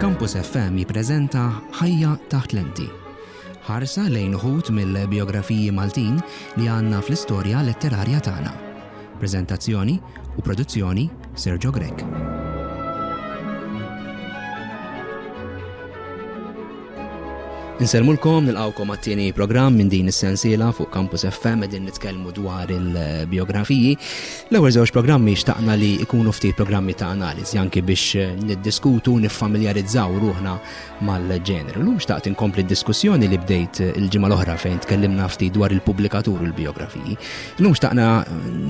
Campus FM jippreżenta Ħajja taħt lenti. Ħarsa lejn uħud mill-bijografiji Maltin li għandna fl-istorja letterarja tagħna. Preżentazzjoni u produzzjoni Sergio Grech. Insellmulkom, nilqawkom għat-tieni programm minn din is-sensiela fuq Campus FM qegħdin nitkellmu dwar il-biografiji. L-ewwel żewġ programmi xtaqna li jkunu ftit programmi ta' analiżi anki biex niddiskutu, niffamiljarizzaw ruħna mal-ġeneru. Lum xtaqt inkompli d-diskussjoni li bdejt il-ġimgħa l-oħra fejn tkellimna ftit dwar il-pubblikatur u l-biografiji. Lum xtaqna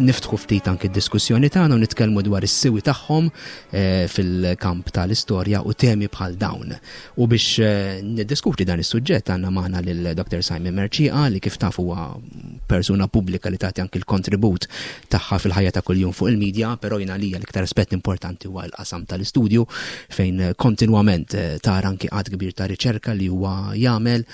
niftħu ftit anki d-diskussjoni tagħna u nitkellmu dwar is-siwi tagħhom eh, fil-kamp tal-istorja u temi bħal dawn. U biex niddiskuti dan is-suġġett għandna magħna lil Dr. Simon Mercieca li kif taf huwa persuna pubblika li tagħti anki l-kontribut tagħha fil-ħajja ta' kuljum fuq il-medja, però jien għalija l-iktar aspett importanti huwa l-qasam tal-istudju fejn kontinwament tara anki għadd kbir ta' riċerka li huwa jagħmel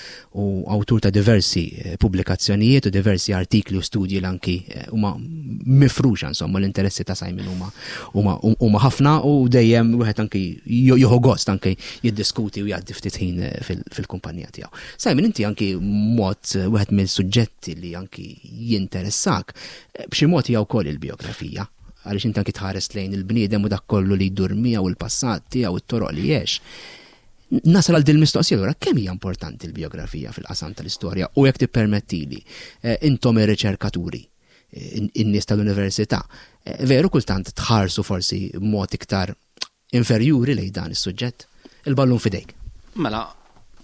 u awtur ta' diversi eh, pubblikazzjonijiet u diversi artikli u studji li anki eh, huma mifruxa insomma l-interessi ta' Simon huma huma ħafna u dejjem wieħed anki jieħu gost anki jiddiskuti u jgħaddi ftit ħin eh, fil-kumpanija tiegħu. Simon inti anki mod wieħed mill-suġġetti li anki jinteressak b'xi mod hija wkoll il-biografija għaliex inti anki tħares lejn il-bniedem u dak kollu li jdur miegħu il-passat tiegħu it-toroq li għex. Nasal għal din mistoqsija allura kemm hija importanti l-bijografija fil-qasam tal-istorja u jekk tippermettili eh, intom ir-riċerkaturi eh, in-nies tal-università, eh, veru kultant tħarsu forsi mod iktar inferjuri lejn dan is-suġġett? Il-ballun fidejk. Mela,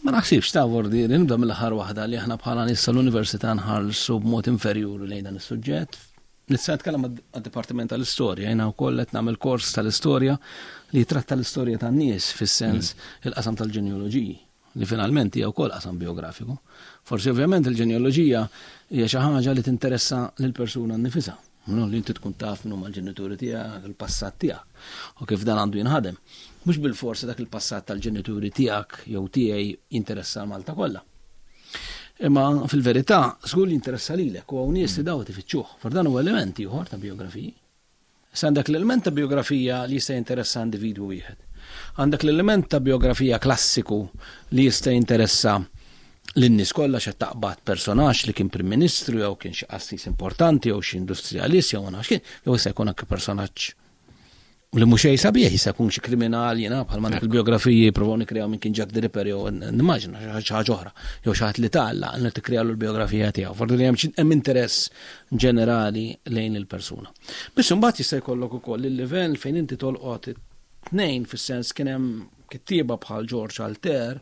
ma naħsibx ta' vordi li nibda mill-aħħar waħda li aħna bħala nies tal-università nħarsu b'mod inferjuri lejn dan is-suġġett. Nista' nitkellem għad-Dipartiment tal-Istorja, jiena wkoll qed nagħmel kors tal-istorja li jitratta l-istorja tan-nies fis-sens mm. il-qasam tal-ġenealoġiji li finalment hija wkoll qasam biografiku. Forsi ovvjament il-ġenealoġija hija xi ħaġa li tinteressa lill-persuna nnifisha. No, li inti tkun taf minnu mal-ġenituri tiegħek, il-passat tiegħek, u kif dan għandu jinħadem. Mhux bil-forsi dak il-passat tal-ġenituri tiegħek jew tiegħi jinteressa Malta kollha. Imma fil-verità, żgur li jinteressa lilek u hawn nies li daw tifittxuh. For dan huwa element ieħor ta' biografiji. Issa għandek l-element ta' biografija li jista' jinteressa individwu wieħed. Għandek l-element ta' biografija klassiku li jista' jinteressa lin-nies kollha x'qed taqbad personaġġ li kien Prim Ministru jew kien xi qassis importanti jew xi industrialist jew ma nafx kien, jew jista' jkun anke personaġġ li mhux xejn sabiħ jista' jkun xi kriminal jiena bħal ma il-biografiji jippruvaw nikkreaw minn kien Jack the Ripper jew nimmaġina xi ħaġa oħra jew xi ħadd li tgħalla li tikkrealu l-biografija tiegħu. Forsi li hemm hemm interess ġenerali lejn il-persuna. Biss imbagħad jista' jkollok ukoll il-livell fejn inti tolqot tnejn fis-sens kien hemm kittieba bħal George Alter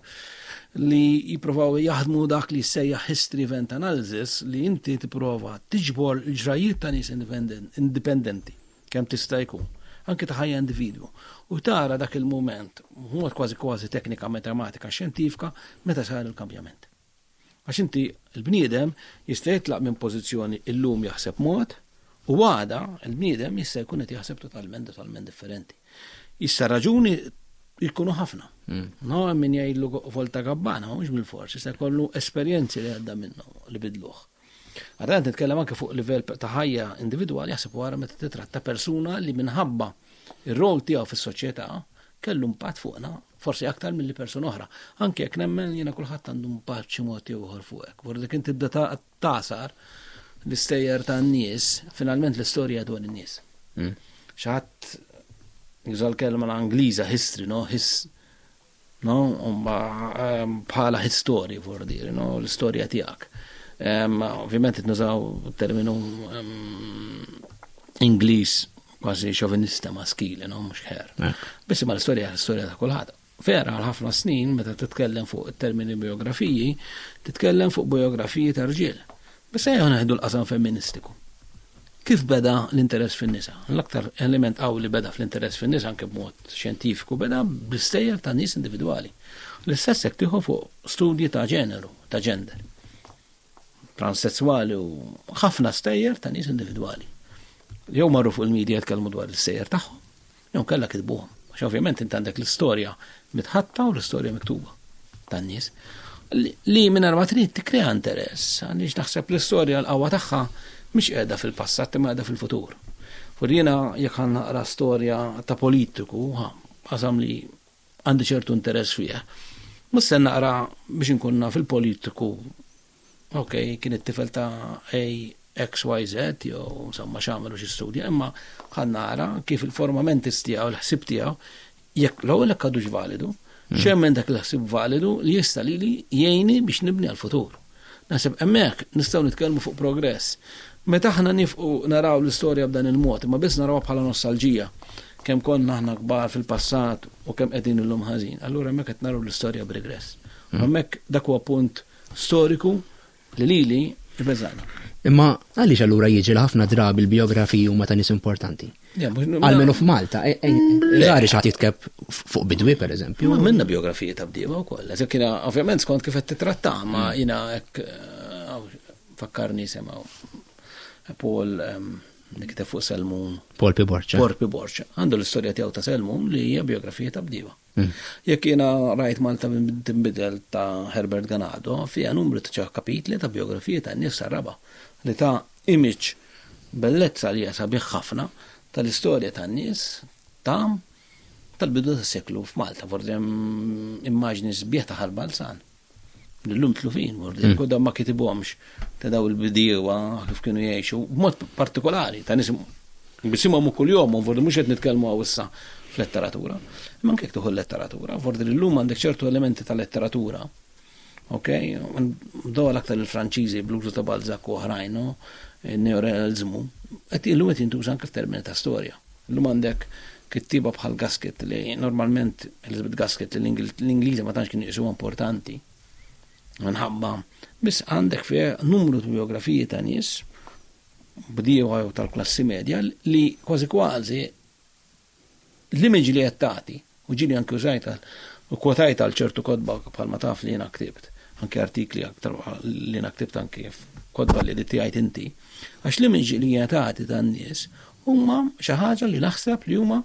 li jippruvaw jaħdmu dak li jissejjaħ history event analysis li inti tipprova tiġbor il-ġrajiet ta' nies indipendenti kemm tista' jkun, anki ta' ħajja individwu, u tara dak il-mument, mod kważi kważi teknika matematika xjentifika, meta sar il-kambjament. Għax inti l-bniedem jista' jitlaq minn pożizzjoni illum jaħseb mod, u għada l-bniedem jista' jkun qed jaħseb totalment totalment differenti. Issa raġuni jkunu ħafna. Mm. No, min jgħidlu volta gabbana, mhux bil-fors, jista' jkollu esperjenzi li għadda minnu li bidluh. Għadha nitkellem anke fuq livell ta' ħajja individwali jaħseb wara meta titratta persuna li minħabba ir-rol tiegħu fis-soċjetà kellu impatt fuqna, forsi aktar milli persuna oħra. Anke jekk nemmen jiena kulħadd għandu impatt xi mod jew ieħor fuqek. Vordi kien tibda tasar l-istejjer tan-nies, finalment l-istorja dwar in-nies. Mm. Xi ħadd juża l-kelma l-Angliża history, no? His, No, ehm, bħala history for dir, no, l-istorja tiegħek. Ehm, ovvjament qed nużaw terminu ehm, Ingliż kważi xovinista maskili, no, mhux ħer. Biss imma l-istorja l-istorja ta' kulħadd. Vera għal ħafna snin meta titkellem fuq it-termini biografiji, titkellem fuq biografiji ta' rġiel. Biss ejja neħdu l-qasam femministiku. Kif beda l-interess fin-nisa? L-aktar element qawwi li beda fl-interess fin-nisa anke b'mod xjentifiku beda bl-istejjer ta' nies individwali. L-istess jekk tieħu fuq studji ta' ġeneru, ta' gender, transesswali u ħafna stejjer ta' nies individwali. Jew marru fuq il-media jitkellmu dwar l-istejjer tagħhom, Jew inkella kitbuhom. Għax ovvjament int għandek l-istorja mitħatta u l-istorja miktuba tan-nies. Li mingħajr ma trid tikkrea interess, għaliex naħseb l-istorja l-qawwa tagħha mhix qiegħda fil-passat imma qiegħda fil-futur. Fur jiena jekk ħa naqra storja ta' politiku, qasam li għandi ċertu interess fih. Mhux se naqra biex inkun naf il-politiku, ok, kien it-tifel ta' A, X, Y, Z, jew insomma x'għamel u xi studja, imma ħa nara kif il-forma mentis tiegħu, il-ħsieb tiegħu, jekk l-ewwel jekk għadux validu, hmm. x'hemm minn dak il-ħsieb validu li jista' lili jgħinni biex nibni għall-futur. Naħseb hemmhekk nistgħu nitkellmu fuq progress. Meta aħna nifqu naraw l-istorja b'dan il-mod, imma biss narawha bħala nostalġija, kemm konna aħna kbar fil-passat u kemm qegħdin illum ħażin, allura hemmhekk qed naraw l-istorja b'regress. U hmm. hemmhekk dak huwa punt storiku li lili jbeżgħani. Imma għaliex allura jiġri li ħafna drabi l-bijografiji huma ta' nies importanti? Almenu f'Malta, e, e, rari xi ħadd jitkeb fuq bidwi pereżempju. Ma minna biografiji ta' bdiewa wkoll. Eżek jiena ovvjament skont kif qed titratta, ma mm. jiena hekk eh, fakkarni semgħu Paul ehm, li kiteb fuq Selmun. Paul P. Borċa. Paul P. Borċa. Għandu l-istorja tiegħu ta' Selmun li hija biografija ta' bdiewa. Mm. Jekk jiena rajt Malta tinbidel ta' Herbert Ganado, fiha numru ta' kapitli ta' biografija ta' nies raba li ta' image bellezza li hija sabiħ ħafna tal-istorja tan-nies ta' tal-bidu tas-seklu f'Malta, forsi hemm immaġni sbieħ ta' Ħal Balzan. L-lum tlufin, forsi mm. kodda ma kitibhomx ta' daw il-bdiewa kif kienu jgħixu, b'mod partikolari ta' nies bisimhom kuljum, forsi mhux qed nitkellmu hawn issa f'letteratura. Imma anke jekk tieħu letteratura, forsi llum għandek ċertu elementi ta' letteratura Ok, daw l-aktar il-Franċiżi bl-użu ta' Balzac u oħrajn, no? Neorealizmu, qed illum qed jintuża anke f'termini ta' storja. Illum għandek kittieba bħal Gasket li normalment Elizabeth Gasket li l-Ingliżi ma tantx kienu jqisuha importanti. Minħabba biss għandek fih numru ta' biografiji ta' nies bdiewa jew tal-klassi medja li kważi kważi L-image li qed tagħti, u ġieli anki użajt u kwotajt għal ċertu kotba bħalma taf li jiena ktibt, anki artikli aktar li jiena ktibt anki f'kotba li editjajt inti, għax l-image li hija tagħti tan-nies huma xi ħaġa li naħseb li huma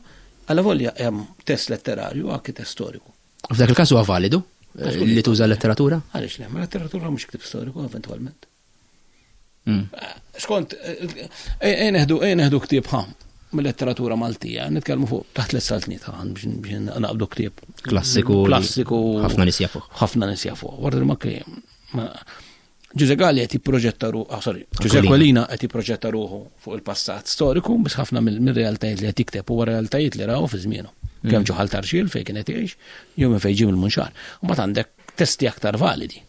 alavolja hemm test letterarju anki test storiku. F'dak il-każ huwa validu li tuża letteratura? Għaliex le, ma letteratura mhux ktib storiku eventwalment. Mm. Skont, eh, neħdu eh, neħdu ktieb ħa mill-letteratura Maltija, nitkellmu fuq taħt l-saltniet ħa biex naqbdu ktieb. Klassiku. Klassiku. Ħafna nies jafuh. Ħafna nies jafuh. Warda ma kien. Ġuże Galli qed jipproġetta ruħu, ah, sorry, Ġuże Aquilina qed jipproġetta ruħu fuq il-passat storiku, biss ħafna mill-realtajiet li qed jikteb huwa realtajiet li raw fi żmienu. Mm. Kemm ġoħal tarxil fejn kien qed jgħix, jew minn fejn ġie mill-Munxar. U mbagħad għandek testi aktar validi.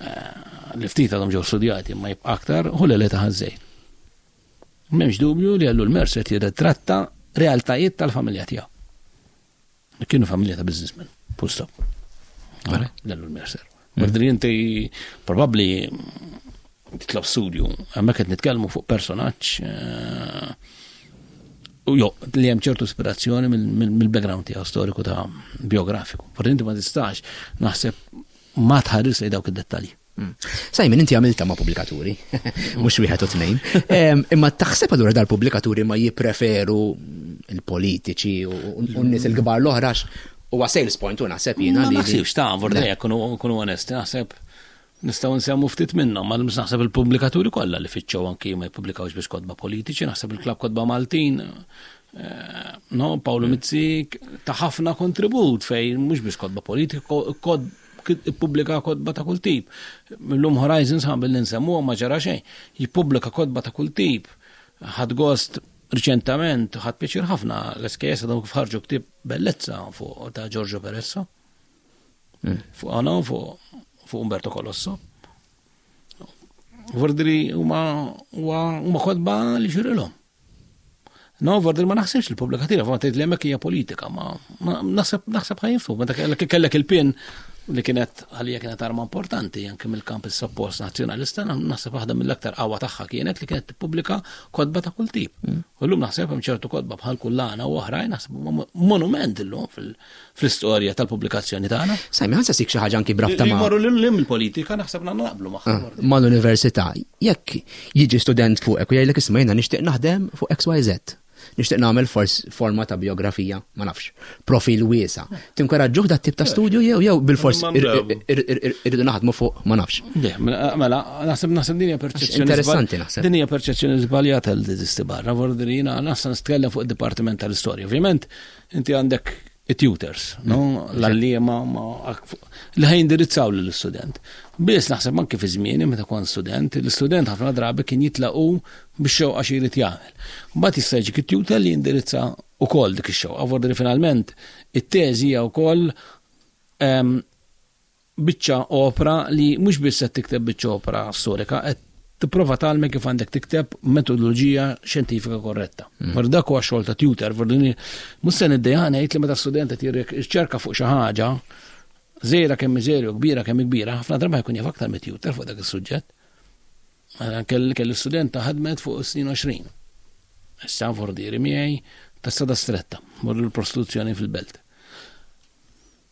Eh, li ftit għadhom ġew studjati ma jibqa' aktar hu l ta' ħażejn. M'hemmx dubju li għallu l-Mercer jirritratta realtajiet tal-familja tiegħu. Kienu familja ta' businessmen, full stop. L-Ellul Mercer. Mm. Merdri inti probabbli titlob studju, hemmhekk qed nitkellmu fuq personaġġ eh, u jo, li hemm ċertu ispirazzjoni mill-background tiegħu storiku ta' biografiku. Forsi inti ma tistax naħseb ma tħares lejn dawk id-dettalji. Mm. Simon, inti għamilta ma' pubblikaturi, mhux wieħed u tnejn. Imma taħseb allura dal-pubblikaturi ma jippreferu il-politiċi u n-nies il-kbar l-oħra huwa sales point u naħseb jiena li. Ma naħsibx ta' vorda kunu onesti, naħseb nistgħu nsemmu ftit minnhom, ma naħseb il-pubblikaturi kollha li fittxew anki ma jippubblikawx biex kotba politiċi, naħseb il-klab kotba Maltin eh, no, Paolo mm. Mizzi ta' ħafna kontribut fejn mhux biex kotba politiku, kod ippubblika kotba ta' kull tip. Millum Horizons ħan billi nsemmuha ma ġara xejn. Jippubblika kotba ta' kull tip. Ħadd gost riċentament, ħadd pjaċir ħafna l-SKS għadhom kif ħarġu ktieb bellezza fuq ta' Giorgio Peresso. Mm. Fuq għana fuq Umberto Colosso. Vordri huma huma kotba li xirilhom. No, vordri ma naħsibx li pubblikativa, ma tgħid li hemmhekk hija politika, ma naħseb naħseb ħajinfu, meta kellek il-pin li kienet għalija kienet arma importanti anke mill-kamp is-suppost nazzjonalista, naħseb waħda mill-aktar qawwa tagħha kienet li kienet tippubblika kotba ta' kull tip. Mm. U llum naħseb hemm ċertu kotba bħal kullana u oħrajn naħseb monument illum fil- fl-istorja tal-pubblikazzjoni tagħna. Sajmi, ħansa sik xi ħaġa anki brabta ma' Morru lil lim il-politika naħseb naqblu magħha. Ah, mal-università, jekk jiġi student fuqek u jgħidlek isma' jiena nixtieq naħdem fuq XYZ. Nixtieq nagħmel forma ta' biografija, ma nafx, profil wiesa. Tinkoraġġuh dat tip ta' studju jew jew bil-fors irridu naħdmu fuq ma nafx. Le, mela, mela naħseb naħseb din hija perċezzjoni. Interessanti naħseb. Din hija perċezzjoni żbaljata li teżisti barra, vordi jiena naħseb nitkellem fuq id-Dipartiment tal-Istorja. Ovvjament, inti għandek. It-tutors, no? L-għalliema li ħa jindirizzaw lill-istudent. Biss naħseb anke fi żmieni meta kont student, l-istudent ħafna drabi kien jitlaqu bix-xewqa xi jrid jagħmel. Mbagħad jista' jiġik it-tutor li jindirizza wkoll dik ix-xewqa, vordi li finalment it-teżi hija wkoll ehm, biċċa opra li mhux biss qed tikteb biċċa opra storika, qed tipprova tgħallmek kif għandek tikteb metodoloġija xjentifika korretta. Mm. Vor dak huwa xogħol ta' tutor, vor mhux se niddejja ngħid li meta student qed jirriċerka fuq xi ħaġa, żgħira kemm żgħira u kbira kemm kbira, ħafna drabi jkun jaf aktar mit-tutor fuq dak is-suġġett. Mela kelli studenta ħadmet fuq is-snin 20. Issa vordieri miegħi ta' strada stretta, morru l-prostituzzjoni fil-belt.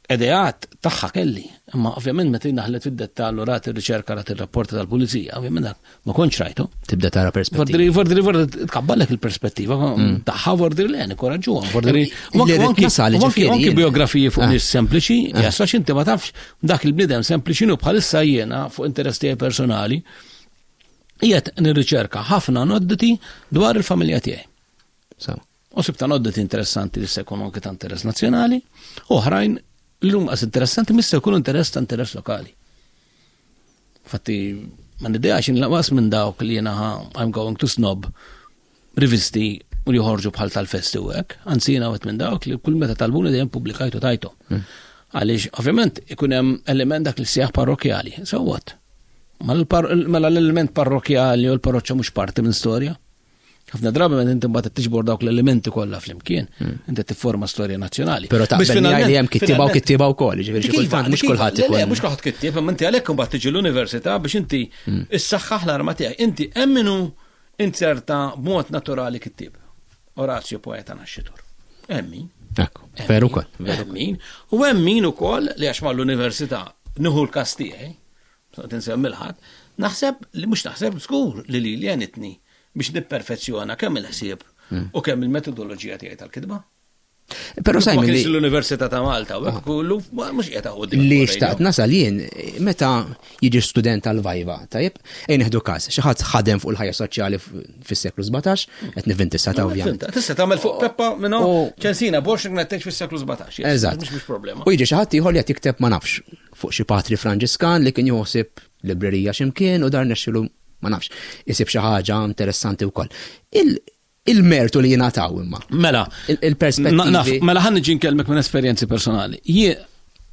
Ideat tagħha kelli, imma ovvjament meta daħlet fid-dettall u rat ir-riċerka rat ir-rapporti tal-pulizija, ovvjament dak ma kontx rajtu. Tibda tara perspettiva. Vordri, vordri, tkabbalek il-perspettiva mm. tagħha vordri le nikoraġġuhom, vordri. Anki biografiji fuq ah. nies sempliċi, ah. jasla inti ma tafx dak il-bniedem sempliċi nu bħalissa jiena fuq interess tiegħi personali qiegħed nirriċerka ħafna nodditi dwar il-familja tiegħi. U sibt anoddoti interessanti li se jkunu anke ta' interess nazzjonali, u oħrajn li huma qas interessanti mista jkunu interess ta' interess lokali. Fatti, ma nideax inlaqas minn dawk li jiena I'm going to snob rivisti u li joħorġu bħal tal-festi u hekk, anzi jiena wieħed minn dawk li kull meta talbuni dejjem pubblikajtu tajtu. Hmm. Għaliex ovvjament ikun hemm element dak li sejjaħ parrokjali. So what? Mela l-element parrokjali u l-parroċċa mhux parti minn storja. Ħafna drabi meta inti mbagħad tiġbor dawk l-elementi kollha flimkien, hmm. inti tifforma storja nazzjonali. Però taqbel li hemm kittieba u kittieba wkoll, jiġifieri xi kultant mhux kulħadd ikun. Mhux kulħadd kittieb, imma inti għalhekk imbagħad tiġi l-università biex inti hmm. issaħħaħ l-arma tiegħek. Inti hemm minnu inzerta b'mod naturali kittieb. Orazio poeta nascitur. Hemm min. Ekku, veru wkoll. Hemm min. U hemm min ukoll li għax mal-università nieħu l-każ tiegħi, Noqgħod insemmi l-ħadd, naħseb li mhux naħseb żgur li lili għenitni biex nipperfezzjona kemm il-ħsieb hmm. u kemm il-metodoloġija tiegħi tal-kitba. Però Simon li l-Università ta' Malta u hekk kollu mhux qiegħed qudiem. Li xtaqt nasal jien meta jiġi student tal-vajva, tajjeb, ejn nieħdu każ, xi ħadd ħadem fuq il-ħajja soċjali fis-seklu 17, qed nivvinti ta' ovvjament. Tista' tagħmel fuq Peppa minnu ċensina Borx ngħid fis-seklu 17. Eżatt. Mhux problema. U jiġi xi ħadd ieħor li qed jikteb ma nafx fuq xi patri Franġiskan li kien joħsib librerija x'imkien u dar nexxilu ma nafx isib xi ħaġa interessanti wkoll. Il-mertu li jingħataw imma. Mela, il-perspettivi. Mela ħan niġi nkellmek minn esperjenzi personali. Jie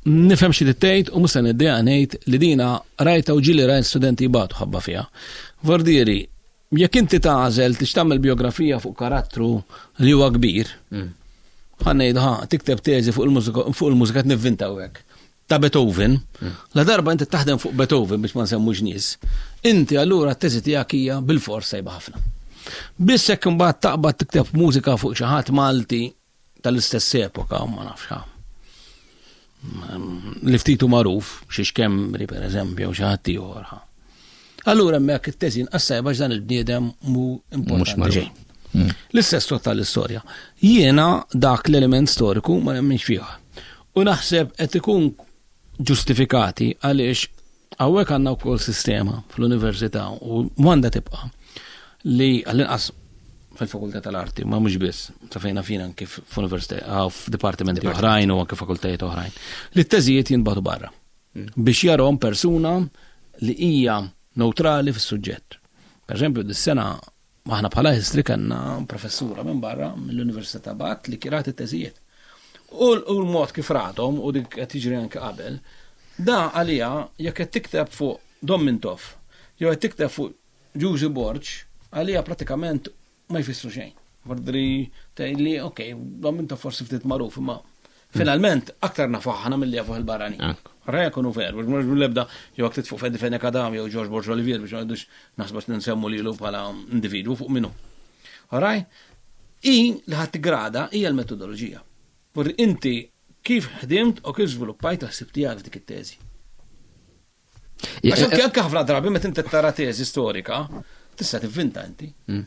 nifhem xi tgħid u mhux se niddejja ngħid li dina rajta u ġieli rajt studenti jibatu ħabba fiha. Vordieri, Jekk inti tagħżel tix tagħmel bijografija fuq karattru li huwa kbir, mm. ħa ngħidu ħa tikteb teżi fuq il-mużika fuq il-mużika qed nivvintaw hekk. Ta' Beethoven, mm. la darba inti taħdem fuq Beethoven biex ma nsemmux nies, inti allura t-teżi tiegħek hija bil-fors sejba ħafna. Biss jekk imbagħad taqbad tikteb mużika fuq xi ħadd Malti tal-istess epoka, ma nafx ha. Li ftitu magħruf, xi xkembri per eżempju, xi ħadd ieħor. Allura hemmhekk it-teżi inqas tajba dan il-bniedem mu importanti xejn. Mm. L-istess tot tal-istorja. Jiena dak l-element storiku ma nemminx fih. U naħseb qed ikun ġustifikati għaliex Hawnhekk għandna wkoll sistema fl-università u għandha tibqa' li għall-inqas fil-fakultà tal-arti, ma mhux biss, sa fejna fina anke f'università, ah, f'dipartimenti oħrajn u anke fakultajiet oħrajn, li t-teżijiet jinbagħtu barra mm. biex jarhom persuna li hija neutrali fis-suġġett. Per eżempju, dis-sena Aħna bħala history kellna professura minn barra mill-Università ta' Bath li kirat it-teżijiet. U l-mod kif rathom u dik qed jiġri anke qabel, da għalija jekk qed tikteb fuq Dom Mintoff jew qed tikteb fuq Ġużi Borg, għalija pratikament ma jfissru xejn. Vordri tgħidli, ok, Dom Mintoff forsi ftit magħruf imma Finalment, aktar nafu aħna milli jafuh il-barranin. Ra jkunu veru, mhux l-ebda jew hekk fuq Fedi Fenech Adam jew George Borg Olivier biex ma ngħidux naħsbu nsemmu lilu bħala individwu fuq minnu. Alright? I li ħadd tigrada hija l-metodoloġija. Vorri inti kif ħdimt u kif żviluppajt l-ħsieb tiegħek f'dik it-teżi. Għax anke anke ħafna drabi meta inti tara teżi storika, tista' tivvinta inti. Mm.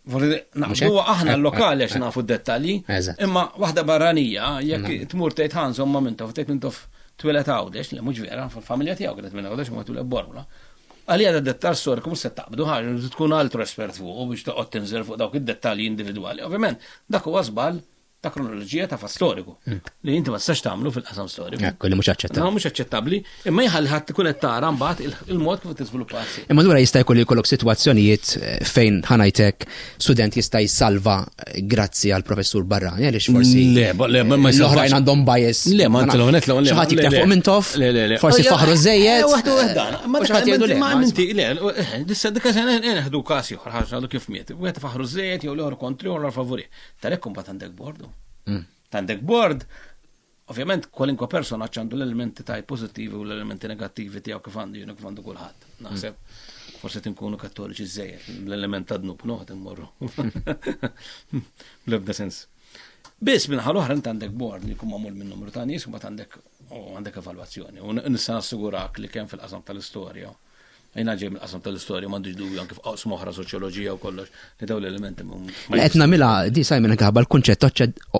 Naqdu aħna l-lokali għax nafu d-dettalji, imma waħda barranija, jekk mm. tmur tgħid ħansom ma mintof, tgħid mintof twilet Għawdex, li mhux vera, fil-familja tiegħu kienet minn Għawdex ma twilet Bormla. Għalija da dettal storiku mhux se taqbdu ħaġa, tkun altru espert fuq biex toqgħod tinżel fuq dawk id-dettalji individwali. Ovvjament, dak huwa żball. ta' kronoloġija ta' fatt storiku hmm. li inti ma tistax tagħmlu fil-qasam storiku. Ekku li mhux aċċettabbli. No, mhux aċċettabbli, imma jħalli ħadd ikun qed tara mbagħad il-mod kif tiżviluppa. Imma lura jista' jkun li jkollok sitwazzjonijiet eh, fejn ħanajtek student jista' jsalva eh, grazzi għal professur barrani għaliex forsi. Le, le, ma l-oħrajn għandhom bias. Le, ma inti l-ewwel le. Xi ħadd jikteb fuq minn tof, forsi oh, faħru żejjed. Eh, waħdu dan. Ma xi ħadd jgħidu le. Ma inti le, dissa dik se neħdu każ ieħor ħaġa kif miet. Wieħed faħru żejjed jew l-ieħor kontri u l-favuri. Talek kumbat għandek bordu. Mm. Għandek bord, ovvjament kwalinkwa persona għandu l-elementi taj pozittivi u l-elementi negattivi tiegħu kif għandu jienu kif għandu kulħadd. Naħseb mm. forsi tinkunu kattoliċi żejjed l-element ta' dnub, no qed immorru. Bl-ebda sens. Biss minn ħal oħra inti għandek bord li jkun magħmul minn numru ta' nies u mbagħad għandek u għandek evalwazzjoni. U nista' nassigurak li kemm fil-qasam tal-istorja Jina ġej mill-qasam tal-istorja, m'għandix dubju anke f'qasam oħra soċjoloġija u kollox li dawn l-elementi ma Qed nagħmilha di Simon anke ħabba l-kunċett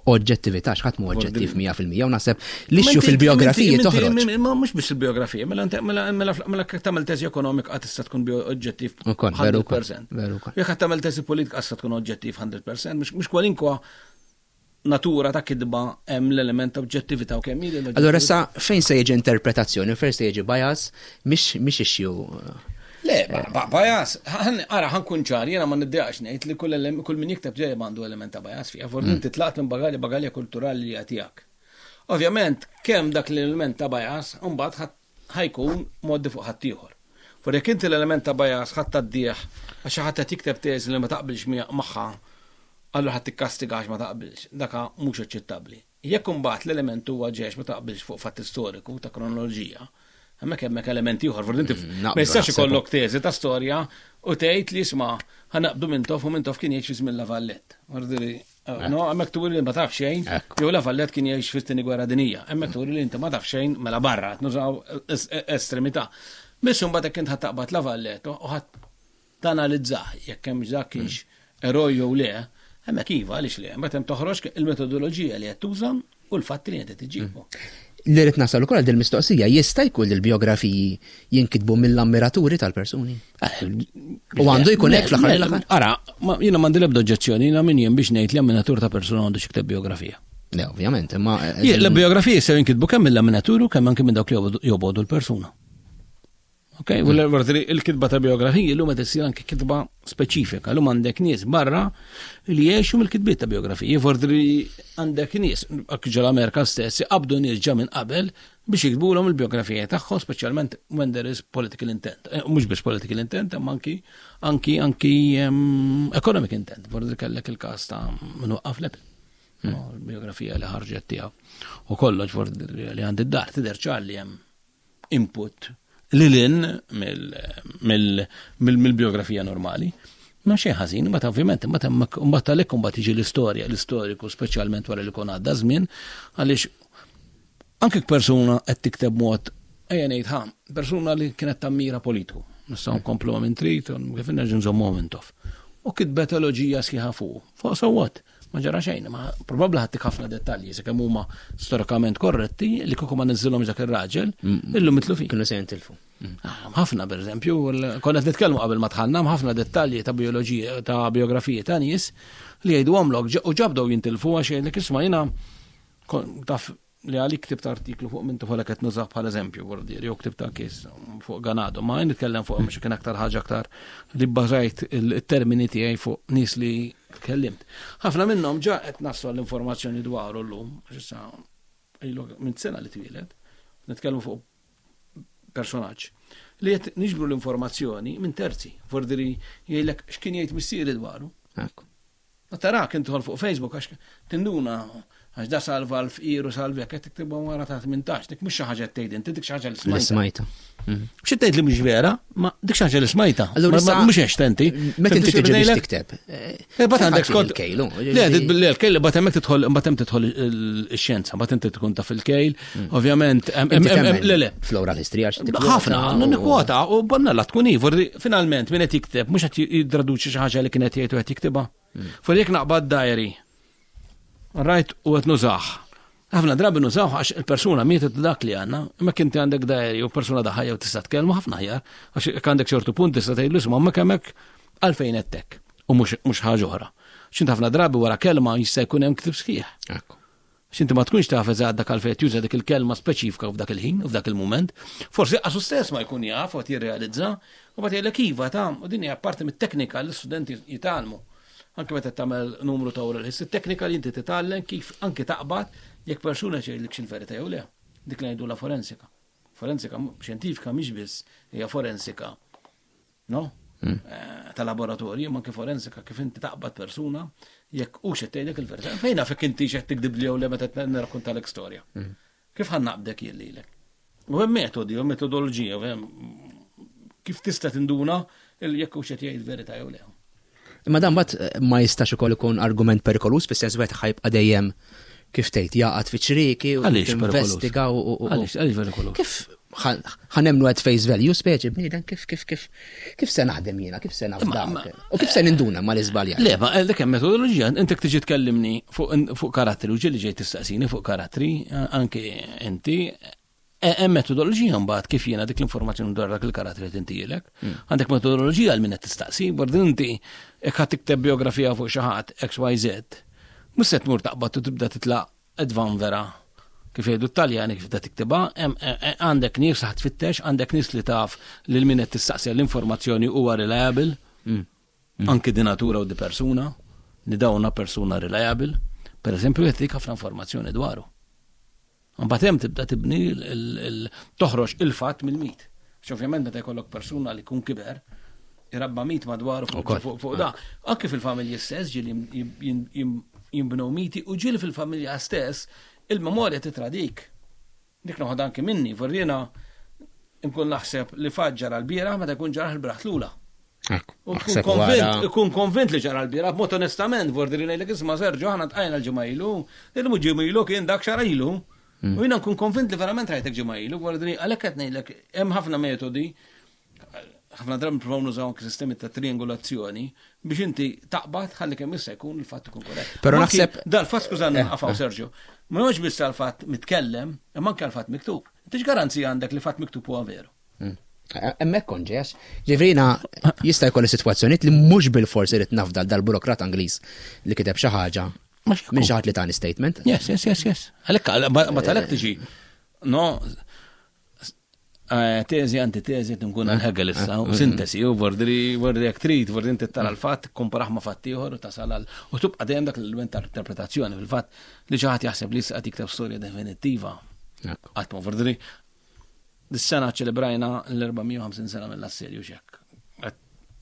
oġġettività x'ħadd mhu oġġettiv 100% u naħseb l-issue fil-biografiji toħroġ. Ma mhux biss il-biografija, mela mela mela mela jekk tagħmel teżi ekonomika qatt tista' tkun oġġettiv 100%. Jekk tagħmel teżi politika tista' tkun oġġettiv 100%, mhux kwalinkwa natura ta' kitba hemm l-element ta' oġġettività u kemm hi. Allura issa fejn se jiġi interpretazzjoni, fejn se jiġi bias, mhix issue. Le, bias, ara ħankun ċar, jiena ma niddejaqx ngħid li kull kull min jikteb dejjem għandu element ta' bias fiha, forsi inti tlaqt minn bagalja bagalja kulturali li hija tiegħek. Ovvjament, kemm dak l-element ta' bias mbagħad ħajkun moddi fuq ħaddieħor. Forsi jekk inti l-element ta' bias ħadd tgħaddih għax xi ħadd qed jikteb teżi li ma taqbilx magħha, allura ħadd tikkastiga għax ma taqbilx. Daka mhux aċċettabbli. Jekk imbagħad l-element huwa ġex ma taqbilx fuq fatt istoriku ta' kronoloġija, hemmhekk hemmhekk element ieħor, forsi inti mm, ma jistax ikollok teżi ta' storja u tgħid li isma' ħanaqbdu Mintoff u Mintoff kien jgħix fi żmien La Vallette. Eh, no, hemmhekk turi li ma taf xejn, jew La Vallette kien jgħix fit-tieni gwerra dinija. Hemmhekk turi li inti ma taf xejn mela barra, qed nużaw estremità. Biss imbagħad jekk int ħadd taqbad La Vallette u ħadd tanalizzah jekk hemm dak kienx eroj jew le, hemmhekk iva għaliex le, mbagħad hemm toħroġ il-metodoloġija li qed tuża u l-fatti li qed iġibu. Li rrid nasal ukoll din mistoqsija jista' jkun li l-biografiji jinkitbu mill-ammiraturi tal-persuni? Eh, u għandu jkun hekk fl-aħħar mill-aħħar? Ara, jiena m'għandi l-ebda oġġezzjoni, jiena min jien biex ngħid li ammiratur ta' persuna għandu xikteb biografija. Le, ovvjament, imma. Eh, l-biografiji sew jinkitbu kemm mill-ammiraturi u kemm anke minn dawk li jobogħdu l-persuna. Ok, u l-kitba ta' biografiji l-lum qed issir anke kitba speċifika. L-lum għandek nies barra li jgħixu mill-kitbiet ta' biografiji. Fordri għandek nies, anke ġol Amerika stess, qabdu nies ġa minn qabel biex jiktbulhom il-biografija tagħhom, speċjalment when there is political intent. Eh, mhux biss political intent, imma anki anki anki ehm, economic intent. Fordri kellek il-każ ta' min waqqaf l hmm. Il-biografija li ħarġet tiegħu. U kollox fordri li għandi d-dar tidher ċar li hemm input lil hinn mill-biografija normali. Ma xejn ħażin, ma ovvjament, ma mbagħad għalhekk imbagħad tiġi l-istorja, l-istoriku speċjalment wara li jkun għadda żmien, għaliex anke persuna qed tikteb mod ejja ngħid ħa, persuna li kienet tammira politiku, nistgħu nkomplu minn trid, kif nerġa' nżommu minn tof. U kitbet elogija sħiħa fuq. Fuq so what? Ma ġara xejn, ma probabbli ħattik ħafna dettalji sakemm huma storikament korretti li kieku ma niżilhomx dak ir-raġel, mm. illum mitlu fi. Kienu se jintilfu. Mm. Ah, ħafna pereżempju, konna qed nitkellmu qabel ma tħanna ħafna dettalji ta' bioloġija ta' biografiji ta' nies li jgħidu għamlok u ġabdew jintilfu għax jgħidlek isma' jiena taf li għalik ktibt artiklu fuq minn tuħolek qed nużah bħal eżempju, vordier, jew ktibt anki fuq Ganado, ma nitkellem fuq mhux kien aktar ħaġa aktar li bbażajt il-termini tiegħi fuq nies li tkellimt. Ħafna minnhom ġa qed naslu l-informazzjoni dwaru llum, għax issa ilu minn sena li twieled, nitkellmu fuq personaġġ li qed niġbru l-informazzjoni minn terzi, vordiri jgħidlek x'kien jgħid missieri dwaru. Ma tarak inti fuq Facebook għax tinduna għax da salva l-fqir u salvi qed tiktibha wara ta' 18, dik mhux xi ħaġa tgħid inti dik xi ħaġa li smajta. Smajta. Mhm. Xi tgħid li mhux vera, ma dik xi ħaġa li smajta. Mhux għex tenti. Meta inti tiġi biex tikteb. Eh, bat għandek skont. Il-kejlu. Le, l-kejl, bat hemmhekk tidħol, bat hemm tidħol ix-xjenza, bat inti tkun taf il-kejl, mm. ovvjament. Le, le. Fl-oral history għax. Ħafna, nikkwota u bonna la tkun iva, finalment min qed jikteb mhux qed jiddraduċi xi ħaġa li kien qed jgħid u qed jiktibha. Mm. Fuq jekk naqbad diary, rajt u qed nużah. Ħafna drabi nużaw għax il-persuna mietet dak li għandna, imma kinti għandek diary u persuna daħajja u tista' tkellmu ħafna ħjar, għax jekk għandek ċertu punt tista' tgħidlu isma' hemmhekk hemmhekk għalfejn qed u mhux ħaġa oħra. X'int ħafna drabi wara kelma jista' jkun hemm ktib sħiħ. X'inti ma tkunx taf eżatt dak għalfejn qed juża dik il-kelma speċifika f'dak il-ħin u f'dak il-mument. Forsi qasu stess ma jkun jaf u qed jirrealizza u mbagħad jgħidlek iva ta' u din hija parti mit-teknika li l-istudenti jitgħallmu. Anke meta tagħmel numru ta' oral history, teknika li inti titgħallem kif anke taqbad jekk persuna jgħidlek il-verità jew le. Dik li ngħidulha forensika. Forensika xjentifika mhix biss hija forensika no? Hmm. Eh, ta' laboratorji, ma anke forensika kif inti taqbad persuna jekk u xed tgħidlek il-verità. Fejn naf inti xed tikdib li jew le meta nirrakkontalek storja. Hmm. Kif ħan naqbdek jien lilek? U hemm metodi, u metodoloġija, u hemm kif tista' tinduna jekk hux qed jgħid verità jew le. Imma dan mbagħad eh, ma jistax ukoll ikun argument perikolus fis-sens wieħed ħajbqa' dejjem kif tgħid jaqgħad fi ċrieki u investiga u għaliex għaliex perikolus. Kif ħanemnu at face value speċi bniedem kif kif kif kif se naħdem jiena, kif se nafda. U kif se ninduna ma l-iżbalja. Le, ma eh, dik hemm metodoloġija, inti tiġi tkellimni fuq karattri u ġieli ġej tistaqsini fuq karattri, eh, anke inti eh, hemm metodoloġija mbagħad kif jiena dik l-informazzjoni dwar dak il-karattri qed intilek. Hmm. Għandek metodoloġija għal min qed tistaqsi, bordin inti jekk ħadd tikteb biografija fuq xi ħadd XYZ, mhux se tmur taqbad u tibda titlaq Et vanvera, kif jgħidu t-Taljani kif da tiktibha, e, e, għandek nies ħadd tfittex, għandek nies li taf lil min qed tistaqsi l-informazzjoni huwa reliable, mm. Mm. anki di natura u di persuna, li dawna persuna reliable, per eżempju jagħtik ħafna informazzjoni dwaru. Mbagħad hemm tibda tibni toħroġ il-fatt mill-mit. Għax ovvjament meta jkollok persuna li jkun kiber, irabba mit madwaru fuq da. Anke fil-familji stess ġieli jinbnew miti u ġieli fil-familja stess il-memorja titradik. Dik noħod anke minni, vorrina nkun naħseb li fatt ġara l-bieraħ meta jkun ġara l-braħ lula. U tkun konvint li ġara l-bieraħ, b'mod onestament, vordi li ngħidlek isma' Sergio aħna tqajna l-ġimgħa ilu, illum ġimgħa ilu kien dak xara ilu. Mm. U jiena nkun konvint li verament rajtek ġimgħa ilu, għordni għalhekk qed ngħidlek hemm ħafna metodi ħafna drabi nippruvaw nużaw anke sistemi ta' triangolazzjoni biex inti taqbad ħalli kemm jista' jkun il-fatt ikun korrett. Però naħseb dal-fatt skużani eh, naqafaw eh. Sergio, ma mhux biss għall-fatt mitkellem, imma anke għall-fatt miktub. Inti x'garanzija għandek li fatt miktub huwa veru? Mm. Hemmhekk kont ġej, għax ġifieri jista' jkolli sitwazzjonijiet li mhux bil-forsi rid nafdal dal-burokrat Ingliż li kiteb xi ħaġa minn xi ħadd li tani statement. Yes, yes, yes, yes. Għalhekk ma talek tiġi. No, eh, teżi, antitezi, nkun għal Hegel issa, u sintesi, u vordri, vordri jek trid, vordri inti tara l-fatt, komparaħ ma fatt ieħor u tasal għal. U tibqa' dejjem dak l-element ta' interpretazzjoni fil-fatt li xi ħadd jaħseb li issa qed jikteb storja definittiva. Qatt ma vordri Dis-sena ċelebrajna l-450 sena mill-assedju xek. Qed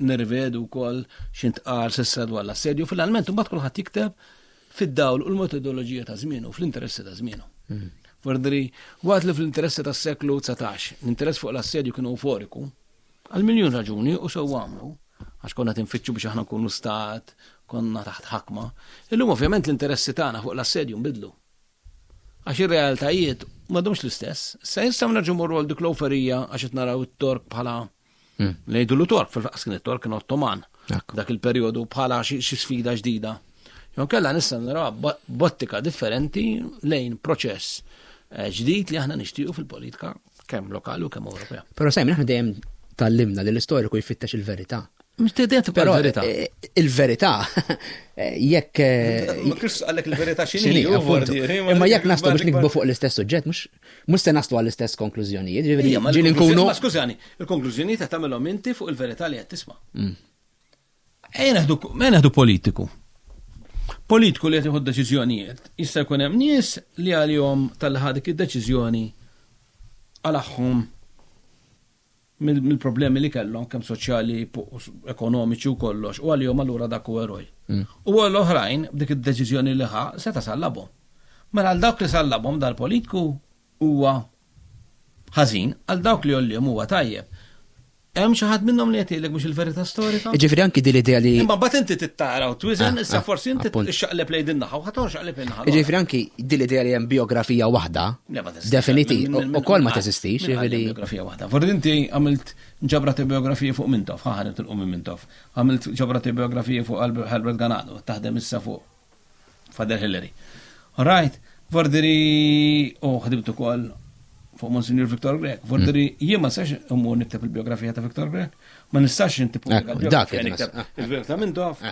nirvedu wkoll x'intqal s'issa dwar l-assedju. Finalment imbagħad kulħadd jikteb fid-dawl u l-metodoloġija ta' żmienu, fl-interessi ta' żmienu. Mm. Fordri, waqt li fl-interessi tas-seklu 19, l-interess fuq l-assedju kienu euforiku, għal miljun raġuni u sew għamlu, għax konna tinfittxu biex aħna nkunu stat, konna taħt ħakma. Illum ovvjament l-interessi tagħna fuq l-assedju nbidlu. Għax ir-realtajiet m'għadhomx l-istess. Issa jistgħu nerġgħu morru għal dik l-oferija għax qed naraw it-Tork bħala hmm. li jgħidulu Tork, fil-faqs kien it-Tork kien Ottoman. Dak il-perjodu bħala xi sfida ġdida. Jew kellha nista' naraw bottika differenti lejn proċess eh, ġdid li aħna nixtiequ fil-politika kemm lokali u kemm Ewropea. Però Simon aħna dejjem tallimna li l-istoriku jfittex il-verità. Però il-verità. Eh, il-verità, eh, jekk. Eh, ma Kristu għallek il-verità x'inhi. Imma jekk naslu biex nikbu fuq l-istess suġġett, mhux se naslu għall-istess konklużjonijiet. Ġifieri nkunu. Ma skużani, il-konklużjonijiet qed tagħmilhom inti fuq il-verità li qed tisma'. Mm. Ejja neħdu politiku. Politiku li qed jieħu deċiżjonijiet. Jista' jkun hemm nies li għalihom tal-ħa dik id-deċiżjoni għalaħħom mill-problemi li kellhom kemm soċjali, ekonomiċi u kollox, u għalihom allura dak hu eroj. Mm. U għal oħrajn b'dik id-deċiżjoni li ħa seta' sallabhom. Mela għal dawk li sallabhom dal-politiku huwa ħażin, għal dawk li għollihom huwa tajjeb. Hemm xi ħadd minnhom li qed jgħidlek mhux il-verità storika? Jiġifieri anki din l-idea li. Imma mbagħad inti tittara u twiżen, ah, issa ah, forsi inti xaqleb lejn din naħa u ħadd xaqleb lejn naħa. Jiġifieri anki din l-idea li hemm biografija waħda. Definiti, ukoll ma teżistix, jiġifieri. Biografija waħda. Forsi inti għamilt ġabra ta' biografija fuq Mintoff, ħa ħa nitilqu minn Mintoff. Għamilt ġabra ta' biografija fuq Albert Ganado, taħdem issa fuq Father Hillary. All right, vordiri u ħdimt ukoll fuq Monsignor Victor Grech. Vordiri mm. jien ma nistax immur nikteb il-biografija ta' Victor Grech, ma nistax inti pubblika il-biografija nikteb il-biografija ta' Mintoff.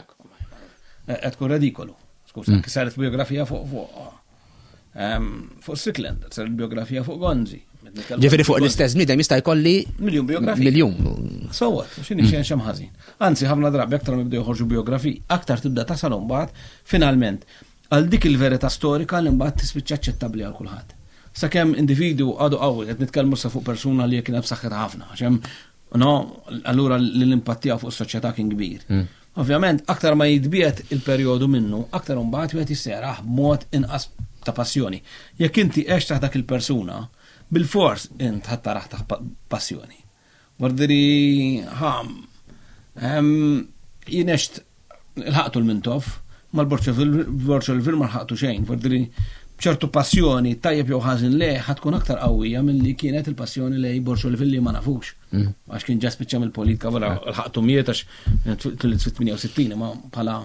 qed tkun redikolu. Skuża, mm. saret biografija fuq fuq ehm, fuq Strickland, saret biografija fuq Gonzi. Ġifieri fuq l-istess bniedem jista' jkolli miljun biografija. Miljun. So what, x'inhi xejn xem ħażin. Anzi, ħafna drabi aktar ma jibdew joħorġu biografiji, aktar tibda tasal imbagħad finalment għal dik il-verità storika li mbagħad tispiċċa aċċettabbli għal kulħadd. Sakemm individwu għadu qawwi, qed nitkellmu sa fuq persuna li kienet b'saħħitha ħafna, għax hemm no, allura l-impatt tiegħu fuq is-soċjetà kien kbir. Mm. Ovvjament, aktar ma jitbiegħed il-perjodu minnu, aktar imbagħad wieħed jista' jarah b'mod inqas ta' passjoni. Jekk inti għext taħt dak il-persuna, bilfors int ħa tarah taħt passjoni. Vordiri, ħa, jien għext lħaqtu l-Mintoff, mal-Borċolvil ma lħaqtu xejn, vordiri b'ċertu passjoni tajjeb jew ħażin lejh ħa tkun aktar qawwija milli kienet il-passjoni lej Borċolvil li ma nafux. Mm. Għax kien ġa spiċċa mill-politika wara l-ħaqtu miet għax twieled fit-68 ma bħala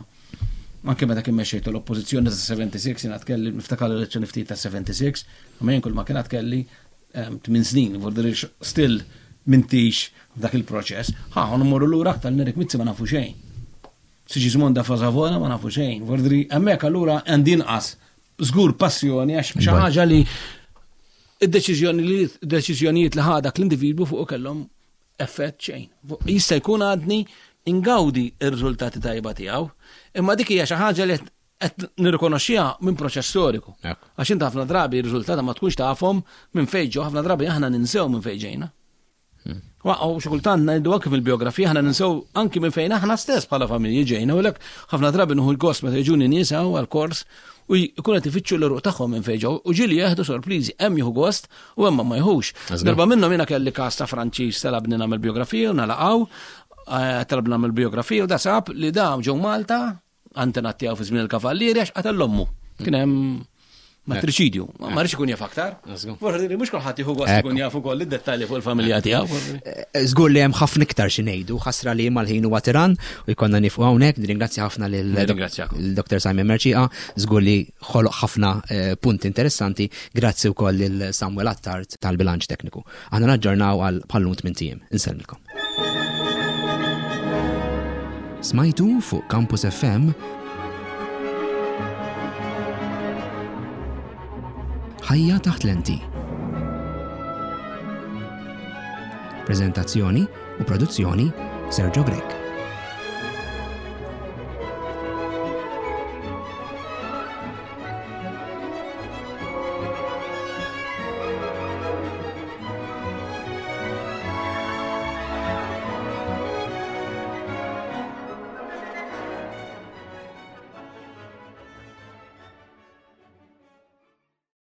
anke meta kien mexxejtu l-oppożizzjoni ta' 76 jiena tkelli niftakar l-elezzjoni ftit ta' 76, ma jien kull ma kien kelli 8 ehm, snin, vordir still mintix f'dak il-proċess. Ħa, mmorru lura aktar Nerik Mizzi ma nafu xejn. Sigismonda Fazavona ma nafu xejn. Vordri, hemmhekk allura għandi inqas żgur passjoni għax xi ħaġa li id-deċiżjoni li deċiżjonijiet li ħadak l-individwu fuq kellhom effett xejn. Jista' jkun għadni ingawdi r-riżultati tajba tiegħu, imma dik hija xi ħaġa li qed nirrikonoxxiha minn proċess storiku. Għax int ħafna drabi r-riżultati ma tkunx tafhom minn fejn ġew, ħafna drabi aħna ninsew minn fejn ġejna. Waqgħu xi kultant ngħidu anki fil-biografija aħna ninsew anki minn fejn aħna stess bħala familji ġejna u lek ħafna drabi nieħu l-gost meta jiġuni nies hawn għall-kors u jkun qed ifittxu l-eruq tagħhom minn fejn ġew u ġieli jeħdu sorpriżi hemm jieħu gost u hemm ma jħux. Darba minnhom jiena kelli każ ta' Franċiż talabni nagħmel biografija u nalaqgħu eh, talabna nagħmel biografija u da sab li da ġew Malta antenat tiegħu fi żmien il-kavallieri għax qatel l-ommu. Kien hemm matriċidju. Ma rridx ikun jaf aktar. Forsi mhux kulħadd jieħu gost ikun jaf ukoll id-dettalji fuq il-familja tiegħu. Eh, eh, żgur li hemm ħafna iktar xi ngħidu, ħasra li mal-ħin huwa tiran u jkollna nifqu hawnhekk, nirringrazzja ħafna lil Dr. Simon Merċieqa, żgur li ħoloq ħafna eh, punti interessanti, grazzi wkoll lil Samuel Attard tal-bilanċ tekniku. Aħna naġġornaw għal bħallum tmint ijiem. Insellmilkom. Smajtu fuq Campus FM Ħajja taħt lenti. Prezentazzjoni u produzzjoni Sergio Grech.